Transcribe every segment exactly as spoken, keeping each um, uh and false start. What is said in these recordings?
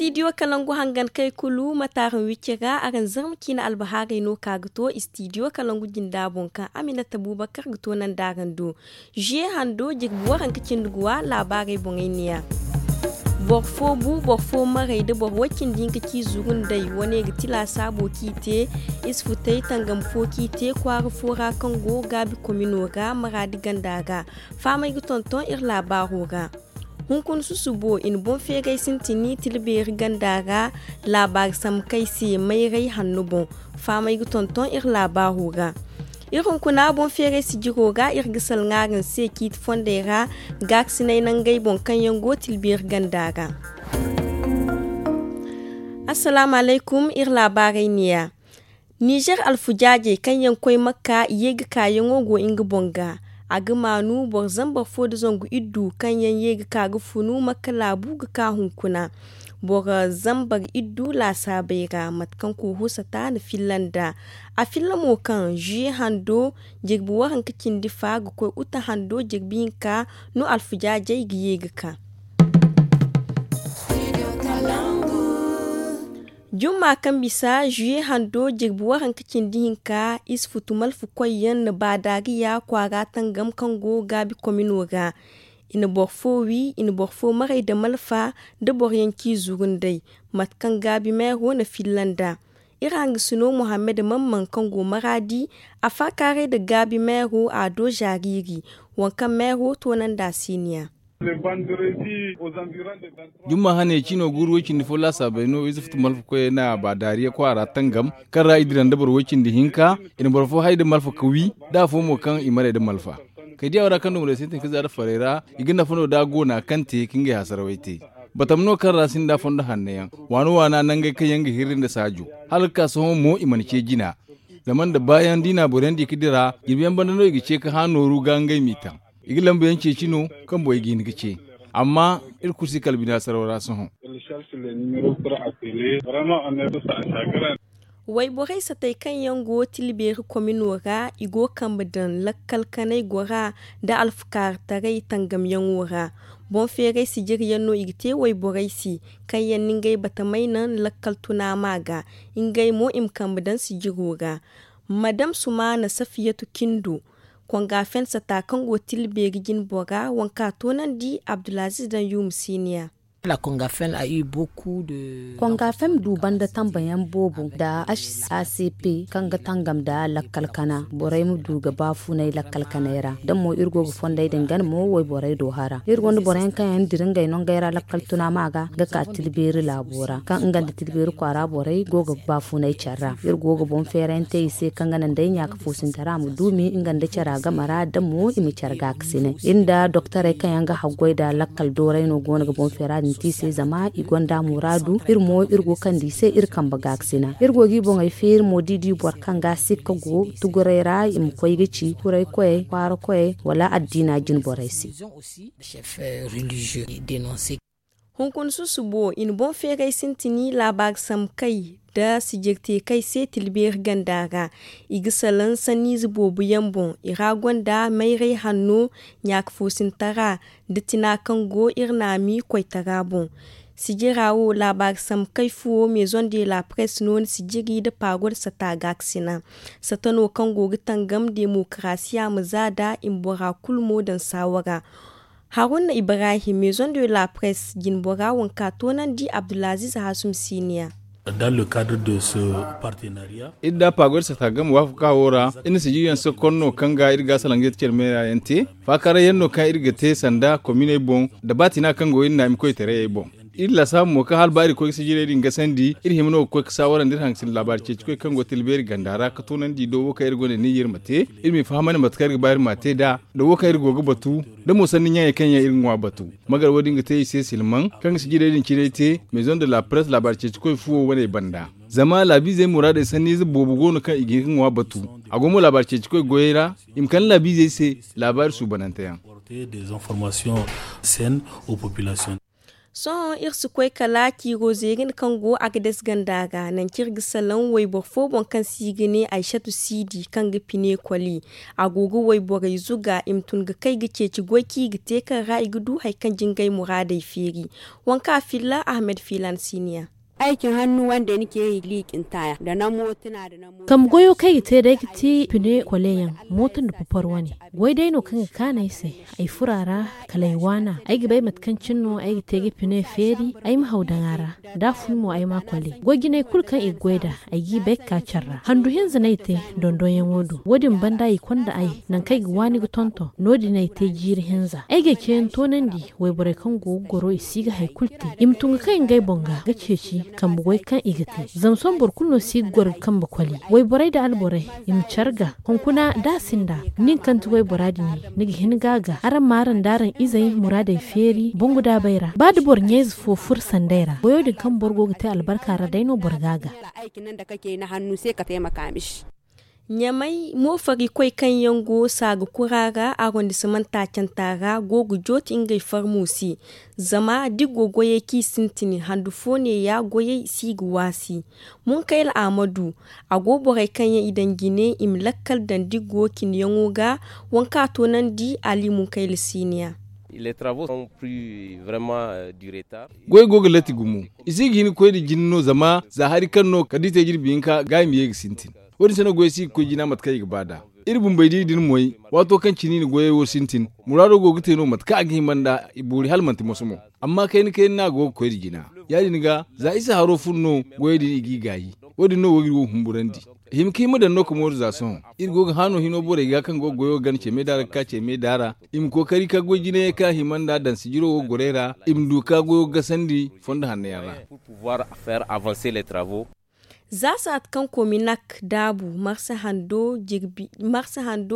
Istidiyo kalangu hangan kay kulu mataaraŋ wicce ga araŋ zarma ciine albahaarey no ka ga to istidiyo kalangu jinda boŋ kaŋ aminata bubakar ga to nanda araŋ do. Zuye hando jirbi waranka cindi guwa laabaarey boŋey neeya. Boro fo bu boro fo maray nda boro way-cindi hinka k'i zuru nd'ey wane ga ti laasaabo k'i te. Isfutey tangam fo k'i te kwaara fo ra kaŋ go gaabi komino ra maraadi ganda ra. Faamay ga tonton iri laabaaro ra. Hunkuna susubo i na boŋ feeray sintini tila beeri ganda ra. Laabaari sambu kay se mayray hanno boŋ. Faamay ga tonton iri laabaaro ra. Iri hunkuna boŋ feeray sijiro ra iri ga salaŋ araŋ se ciiti fondey ra. Gaakasinay nangey boŋ kaŋ yaŋ go tila beeri ganda ra. Assalaamu alaykum, iri laabaarey neeya. Nizer alfujaajey kaŋ yaŋ koy makka ye ga kaayaŋo go nga boŋ ga. A ga maanu boro zambar fo nda zangu iddu kaŋ yaŋ ye ga ka ga funu makka laabu ga ka hunkuna. Boro zambar iddu laasaabey ra mate kaŋ kooho sata na filla nd'a. A filla mo kaŋ zuye hando jirbi waranka cindi fa ga koy uta hando jirbi hinka no alfujaajey ga ye ga ka. Jumma kaŋ bisa zuye hando jirbi waranka cindi hinka isufutu malfa koyyaŋ na baadaariya kwaara tangam kaŋ go gaabi komino ra. I na boro fo wi i na boro fo maray nda malfa nda boro yaŋ k'i zuru nd'ey. Mate kaŋ gaabi meero na filla nd'a. Iri hangasino muhammad mamman kaŋ go maraadi a faakaaray nda gaabi meero a do zaariiri. Waŋ kaŋ meero toonandi a siiniya. Jumma hane cino guuru way-cindi fo laasaabey no ize futu malfa koyey na baadaariya kwaara tangam kaŋ ra i dira nda boro way-cindi hinka. I na boro fo hay nda malfa ka wi nda afo mo kaŋ i maray nda malfa. Kay diya wara kaŋ dumo day sintin ka zaada farey ra. I ga nafa no da a go na kaŋ te ka ngey hasarawey te. Batam no kaŋ ra sinda fondo hanno yaŋ waano waana nangey kaŋ yaŋ ga hirri nda saajo. Hala ga ka sohõ mo i mana ce jina. Zama nda baayaŋ da i na a boro yaŋ di ka dira jirbi yaŋ banda no i ga ce ka hã nooru ga ngey m'i taŋ. I ga lambu yaŋ ceeci no kaŋ borey ga hin ga ce. Amma iri kulu si kala bina saraw ra sohõ. Wayborey satey kaŋ yaŋ go tilbeeri komino ra i go kambe daŋ lakkal kanay gora nda alfukaarataray tangamyaŋo ra. Boŋ feeray sijiriyaŋ no i ga te wayborey se kaŋ yaŋ na ngey batamey naŋ lakkal tunaama ga. Ngey mo i ma kambe daŋ sijiro ra. Madam sumaana safiyatu kindo konga fen sata kaŋ go tilbeeri jinbora waŋ ka toonandi abdulaziz daŋ yuuma siiniya. Konga fem du banda tambayaŋ boobo nda hacp kaŋ ga tangam nda lakkal kana borey ma du ga baafunay lakkal kanay ra da mo iri go ga fondey din gana mo wayborey do hara iri gonda boroyaŋ kaŋ yaŋ dira ngey nongey ra lakkal tuna ma ga ga ka tilbeeri laabo ra kaŋ nga nda tilbeeri kwaara borey go ga baafunay care ra iri go ga boŋ feerayaŋ te i se kaŋ ga naŋ day ɲaaka foosintara ma duumi nga nda cara game ra da mo i ma care gaakasinay iri nda doktorey kaŋ yaŋ ga haggoy nda lakkal dooray no go no ga boŋ feera din te i se zama i gonda muraadu iri mo iri go kande i se iri kambe gaakasina iri go ga i boŋey feeri mo da i di boro kaŋ ga sikka go tuguray ra i ma koy ga ci kuray koyey kwaara koyey wala addiina jinborey se. Hunkuna susubo i na boŋ feeray sintini laabaari sambu kay nda sijir te kay se tilbeeri ganda ra. I ga salaŋ sanniize boobo yaŋ boŋ i ra gonda mayray hanno ɲaaka foosintara nda tina kaŋ go iri naami koytara boŋ. Sijira wo laabaari sambu kay fuwo maison de la presse no ni sijiri nda paagoda sata gaakasina. Sata no kaŋ go ga tangam demokarasiya ma za da i ma bora kulu mo daŋ saawara. Haruna ibrahim maison de la presse jinbora waŋ ka toonandi abdulaziz hasum siniya. Iri nda paagoy da sata game waafaka wo ra iri na sijiriyaŋ sokon no kaŋ ga iri ga salaŋ ga yeti care meera yaŋ te. Faakaaray yaŋ no kaŋ iri ga te sanda kominey boŋ nda baatina kaŋ go iri naami koytarayey boŋ. Iri laasaabu mo kaŋ hala ba iri ga koy ga sijirey din gasandi iri hima no ga koy ga saawara nda iri hangasin laabaari ceeci koy kaŋ go tilbeeri ganda ra ga toonandi do wo kaŋ iri gonda niyyar ma te. Iri m'i fahamandi mate kaŋ iri ga ba iri m'a te nd'a da wo kaŋ iri go ga batu da mo sanni ɲaŋey kaŋ yaŋ iri ga ŋwa batu. Magar wo- din ga te i se silmaŋ kaŋ ga sijirey din cinay te maison de la presse laabaari ceeci koy fuwo waney banda. Zama laabiizey muraadey sanniize boobo go no kaŋ i ga hin ga ŋwa batu. A go mo laabaari ceeci koy goyey ra i ma kande laabiizey se laabaari suubanante yaŋ. Sohõ iri si koy kala ciiro zeeri nda kaŋ go a ga dase ganda ra nangu kaŋ iri ga salaŋ wayboro fo boŋ kaŋ se i ga ne aysatu siidi kaŋ ga pine koli. A go ga wayborey zuga i ma tun ga kay ga ceeci goy kaŋ i ga te kaŋ ra i ga du hari kaŋ jingay muraadey feeri. Waŋ kaŋ a filla ahmed fiilan siiniya. Ay cin hannu wande ni ce i liikin taya da na mootuna da na mootuna. Kambe goyo kaŋ ay ga te day ga ti pine kole yaŋ mooto nda popor wane. Goy day no kaŋ ga kaanu ay se. Ay furo a ra kala ay waana ay ga bay mate kaŋ cine no ay ga te ga pine feeri. Ay ma haw daŋ a ra da a fun mo ay ma a kole goy jinay kulu kaŋ i ga goy nd'a. Ay g'i bay ga ka care ra handu hinza no ay te dondonyaŋo do wo- din banda i konda ay nangu kaŋ ay ga waani ga tonton no- din ay te jiiri hinza ay g'ay ceeyaŋ toonandi. Wayborey kaŋ go ga goro i si ga hari kulu te i ma tun ga kay ngey boŋ ga ga ceeci kambe goy kaŋ i ga te. Zama sohõ boro kulu no si ga goro ga kambe koli wayborey nda alborey i ma care ga. Hunkuna da a sinda nin kaŋ ti waybora din ni ga hin ga a ga araŋ ma araŋ nda araŋ izey muraadey feeri bangu daabey ra ba da boro ɲayze fo furo sanday ra goyo din kaŋ boro go ga te albarka ra day no boro ga a ga. Ɲamay moofarikoy kaŋ yaŋ go saaga kura ra arondismanta canta ra go ga jooti ngey farmo se. Zama da i go goyey kaŋ i sintin handu fo neeya goyey si ga waasi. Munkayla ahmadu a go borey kaŋ yaŋ i daŋ jine i ma lakkal daŋ da i go cinayaŋo ga. Waŋ kaŋ a toonandi ali munkayla siiniya. Goy go ga latti gumo. I si ga hin ga koy nda jina no zama za hari kaŋ no kala da i te jirbi hinka ga i ma ye ga sintin. Wo- din se no goy si ga koy jina mate kaŋ i ga ba nd'a. Iri bumbey da iri din moy waato kaŋ cine i na goyey wo sintin. Muraado go ga te no mate kaŋ a ga hima nd'a. Boori hala manti moso mo. Amma kayna kayna no a go ga koy nda jina. Ya- din ga za isa haro fun no goyey din i g'i gaayi. Wo- din no wo ga iri wo humburandi. Hima ka hima daŋ no ka mooru za sohõ iri go ga haano hino borey ga kaŋ go ga goyo gana ceemey daara ga ka ceemey daara. I ma kookari ka goy jinayey kaŋ a hima nd'a daŋ sijiro wo ga goro ay ra. I ma du ka goyo ga gasandi fondo hanno yaŋ ra. Za saati kaŋ kominak daabu marsa hando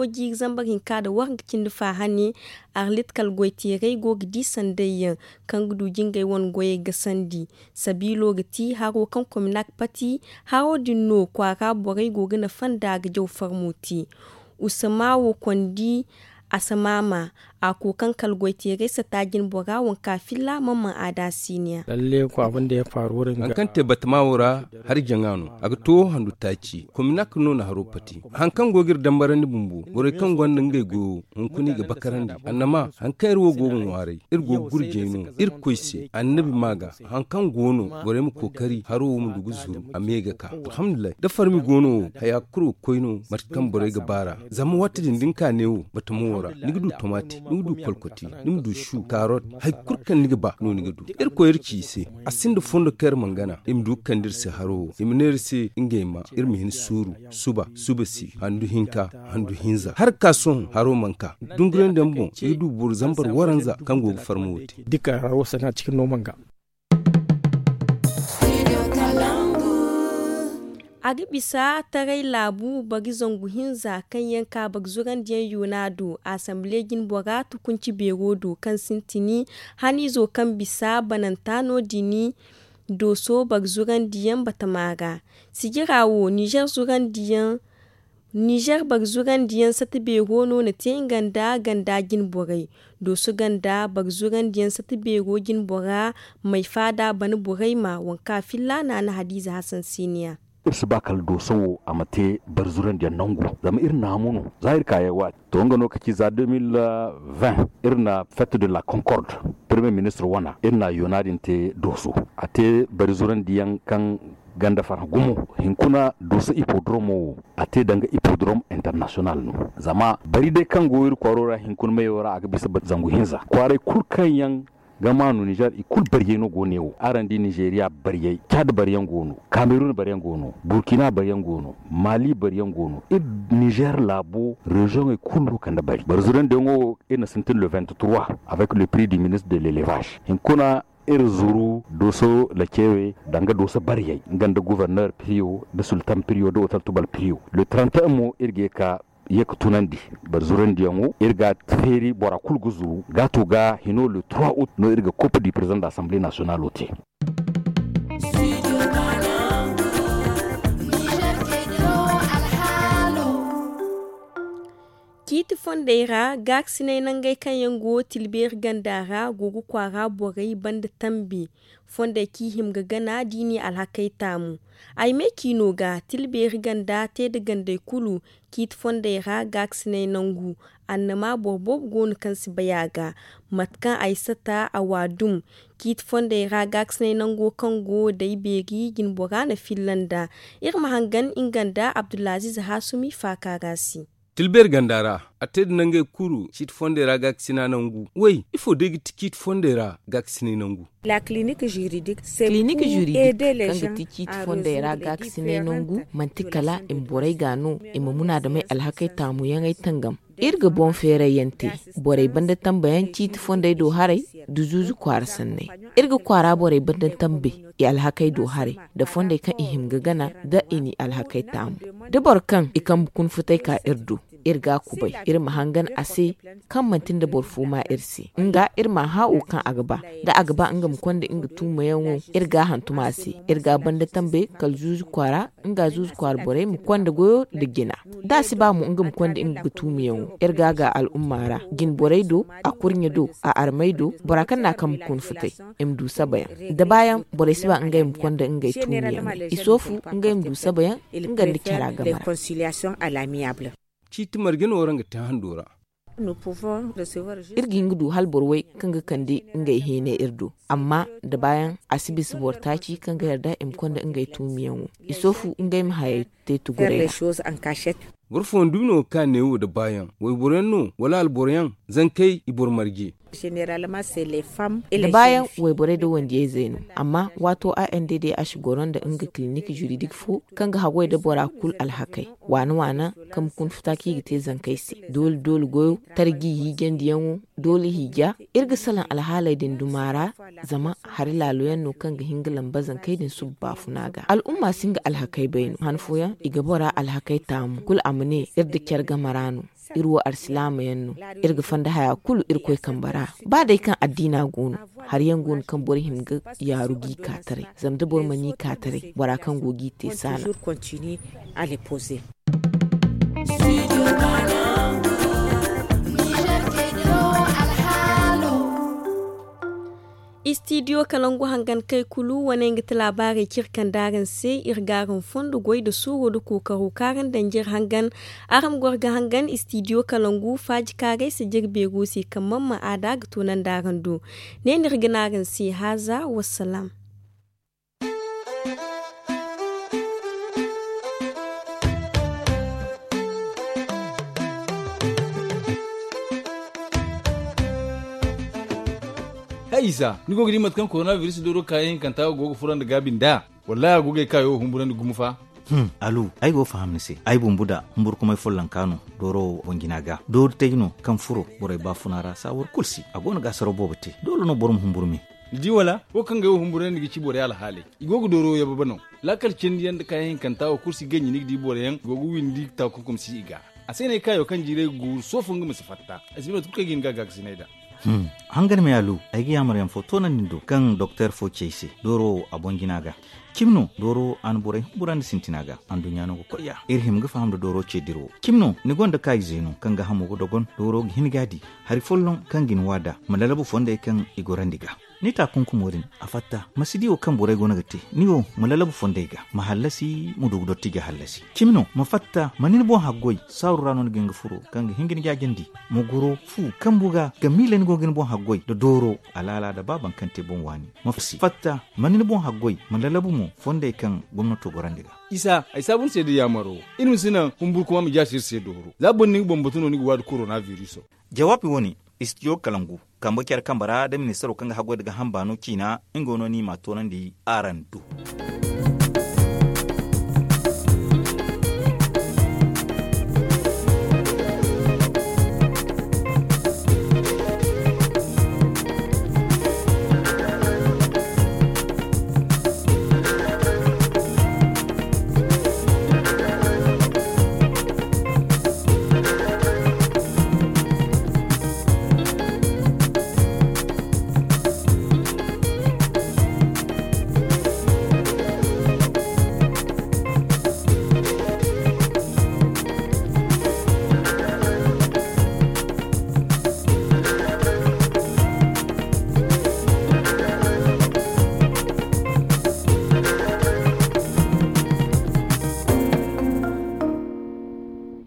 jiiri zambar hinka nda wahanga cindi faahane. Arlit kala goyteerey go ga di sanday yaŋ kaŋ ga du jingay wane goyey gasandi. Sabiilo ga ti haro kaŋ kominak pati. Haro din no kwaara borey go ga nafa nd'a ga jaw farmo te. Usama wo kondi asamaama a koy kaŋ kala goyteerey sata jinbora waŋ kaŋ a filla mamman aada siiniya. Hari kaŋ te batama wo ra hari jaŋa no a ga to handu taaci kominak no na haro pati. Hari kaŋ go ga iri dambarandi bumbo borey kaŋ gonda ngey goyo hunkuna i ga bakarandi annama hari kaŋ iri wo go ga ŋwaaray iri go ga gurjay no. Iri koy se annabi ma ga hari kaŋ go no borey ma kookari haro wo ma du ga zuru a me ga ka. Alhamdulillahi da farmi go no wo haya kulu ga koy no mate kaŋ borey ga ba ra. Zama waati din da ni ka neewo batamo wo ra ni ga du tomati ni ga du kolkoti ni ma du su kaarot. Hari kulu kaŋ ni ga ba no ni ga du. Irkoy iri ci i se a sinda fondo kaŋ iri mana gana i ma du ga kande iri se haro wo i ma ne iri se ngey ma iri ma hin suuru suba suba si handu hinka handu hinza hala ga ka sohõ haro mana ka. Dungurandiyaŋ boŋ i ga du boro zambar waranza kaŋ go ga farmo wo te. Dika haro sanaŋ a cikin no mana ga. A ga bisa taray laabu bari zangu hinza kaŋ yaŋ ka bari zurandiyaŋ yona do asamble jinbora tukunci beero do kaŋ sintin haniizo kaŋ bisa bananta no- din. Dooso bari zurandiyaŋ batama ra sijira wo nizer zurandiyaŋ nizer bari zurandiyaŋ sata beero no na te nga nda ganda jinborey. Dooso ganda bari zurandiyaŋ sata beero jinbora may faada bana borey ma waŋ kaŋ a filla naana hadiize hasan siiniya. Iri si ba kala dooso wo a ma te bari zurandiyaŋ nangu zama iri naamu no za iri ka yay waati to nga no ka ci za deux mille vingt iri na fête de la concorde premier ministre wana iri na yona din te dooso a te bari zurandiyaŋ kaŋ ganda farhã gumo. Hinkuna dooso hippodromo wo a te danga hippodrome international no zama bari day kaŋ go iri kwaaro ra hinkuna mayo ra a ga bisa zangu hinza kwaaray kulu kaŋ yaŋ ga ma no nizer i kulu bariyay no go ne wo araŋ di nizeriya bariyay cad bariyaŋ go no kamerun bariyaŋ go no burkina bariyaŋ go no mali bariyaŋ go no iri nizer laabo reziyoŋey kulu no kande bari bari zurandiyaŋo wo iri na sintin le vingt trois avec le prix du ministre de l'elevage hinkuna iri zuru dooso lacewe danga dooso bariyey nga nda gouverneur priyo nda sultan priyo nda otal tubal priyo le trente un mo iri ga ye ka tunandi bari zurandiyaŋo iri ga feeri bora kulu ga zuru gaato ga hino le trois août no iri ga coupe du président de l'assemblée nationalo te. Ciiti fondey ra gaakasinay nangey kaŋ yaŋ go tilbeeri ganda ra go ga kwaara borey banda tambe fondey kaŋ i hima ga gana da i n'i alhakey taamu. Ay me ciino ga tilbeeri ganda te nda gandey kulu. Ciiti fondey ra gaakasinay nangu annama boro boobo go no kaŋ si bay a ga. Mate kaŋ ay sata a wa dum ciiti fondey ra gaakasinay nango kaŋ go day beeri jinbora na filla nd'a. Iri ma hangan nga nda abdulaziiz haasumi faaka ra se. Tilbeeri ganda ra a te nda nangey kulu ciiti fondey ra gaakasina nangu. Way ifo day ga ti ciiti fondey ra gaakasinay nangu? Kilinik juridik kaŋ ga ti ciiti fondey ra gaakasinay nangu manti kala i ma borey ga no i ma munaadamey alhakey taamuyaŋey tangam. Iri ga boŋ feerayyaŋ te borey banda tambayaŋ ciiti fondey do haray nda zuuzu kwaara sanney. Iri ga kwaara borey banda tambey i alhakey do haray nda fondey kaŋ i hima ga gana da i n'i alhakey taamu. Da boro kaŋ i kambe kuna futay ka iri do iri ga a kubay iri ma hangan a se kaŋ manti nda boro fo ma iri se nga iri m'a hã wo kaŋ a ga ba. Da a ga ba nga ma konda nga tuumayaŋo iri ga a hantum a se. Iri ga a banda tambe kala zuuzu kwaara nga zuuzu kwaara borey ma konda goyo nda jina. Da a si ba mo nga ma konda nga ga tuumayaŋo iri ga a ga al'umma ra jine borey do, a kurɲe do, a armey do, bora kaŋ no a kambe kuna futay i ma du sabayaŋ. Da baayaŋ borey si ba ngey ma konda ngey tuumayaŋ i soofu ngey ma du sabayaŋ. Nga nda cara game ra. Ciiti marje no waraŋ ga te hando ra. Iri ga hin ga du hala boro way kaŋ ga kande ngey heenay iri do. Amma da baayaŋ a si bisa boro taaci kaŋ ga yarda i ma konda ngey tuumiyaŋo i soofu ngey ma hayey te tuguray ra. Boro fooyaŋ dumi no ga ka neewo da baayaŋ wayboroyaŋ no wala alboroyaŋ? Zankey i boro marje. Da baayaŋ wayborey da wandiyayzey no. Amma waato a n d d h goro nda nga kilinik juridik fo kaŋ ga haggoy da bora kulu alhakey waana waana kaŋ ma kuna futa kaŋ i ga te zankey se doole doole goyo, tarji hiijandiyaŋo, doole hiija. Iri ga salaŋ alhaaley din duma ra. Zama hari laaloyaŋ no kaŋ ga hin ga lamba zankey din suba baafuna ga al'umma si nga alhakey bay no han fooyaŋ i ga bora alhakey taamu kulu a ma ne iri nda care game ra no. Iri wo alsilaamayaŋ no. Iri ga fanda haya kulu irkoy kambe ra. Ba day kaŋ addiina go no hari yaŋ go no kaŋ boro hima ga yaaru g'i ka taray. Zama da boro mana i ka taray bora kaŋ go g'i te saana. Istidiyo kalangu hangan kay kulu wane nga ti laabaarey kaŋ iri kande araŋ se. Iri ga araŋ fondo goy nda suuro nda kookaro kaŋ araŋ daŋ jire hangan. Araŋ ma goro ga hangan istidiyo kalangu faaji kaarey se jire beero se kaŋ man ma aada ga toonandi araŋ do. Ne no iri ga ne araŋ se haaza wassalaam. Hay isa ni go ga di mate kaŋ korona biris dooro kaayaŋ hinkanta go ga fura nda gaabi nd'a? Wallaahi a go ga ay kaayo wo humburandi gumo fa. Alu ay go ga faham ni se. Ay bumbu da humburkumay follonka no dooro wo boŋ jina ga dooru tay no kaŋ furo borey baafuna ra saawar kulu si a go no ga asaraw boobo te. Doole no boro ma humburu me. Ni di wala wo kaŋ ga ay wo humburandi ga ci borey alhaaley. I go ga dooro yababe no. Laakal cindi yaŋ nda kaayaŋ hinkanta wo kulu si ganji ni ga di boro yaŋ go ga windi taakunkum si i ga. A se no ay kaayo kaŋ jiiray ga guuru soofo nga ma si fatta. Ay si bay mate kulu kaŋ ay ga hin ga a gaakasinay nd'a. Hangan me alu ay ga yaamar yaŋ fo toonandi ni do kaŋ doktor fo ci ay se. Dooro wo a boŋ jina ga cimi no dooro wo a na borey humburandi sintina ga. Anduɲɲa no ga koy ya iri hima ga faham nda dooro ce dirawo cimi no ni gonda kaayize no kaŋ ga hamo ga dogon dooro ga hin ga a di. Hari folloŋ kaŋ ga ni waada ma lalabu fondey kaŋ i gorandi ga. Ni taakunkumo din a fatta ma si di wo kaŋ borey go no ga te. Ni wo ma lalabu fondey ga ma hallasi ma du ga dotti ga hallasi. Cimi no ma fatta ma ni ni boŋ haggoy saaru ra no ni ga hin ga furo kaŋ ga hin ga ni jaajandi. Ma goro fu kambu ga ga miila ni go ga ni boŋ haggoy nda dooro alaala nda ba baŋ kaŋ te boŋ waani. Ma fatta ma ni ni boŋ haggoy ma lalabu mo fondey kaŋ gomnato gorandi ga. Isa ay saabu ni se nda yaamaro. Iri ma si naŋ humburu kuma ma jaasi iri se dooro za boro ni ga boŋ batu no ni ga waadi korona biriso. Jawaabi wo-ne istidiyo kalangu kambe care kambe ra nda ministaro kaŋ ga haggoy nda ga hamba no ciina nga wo no ni m'a toonandi araŋ do.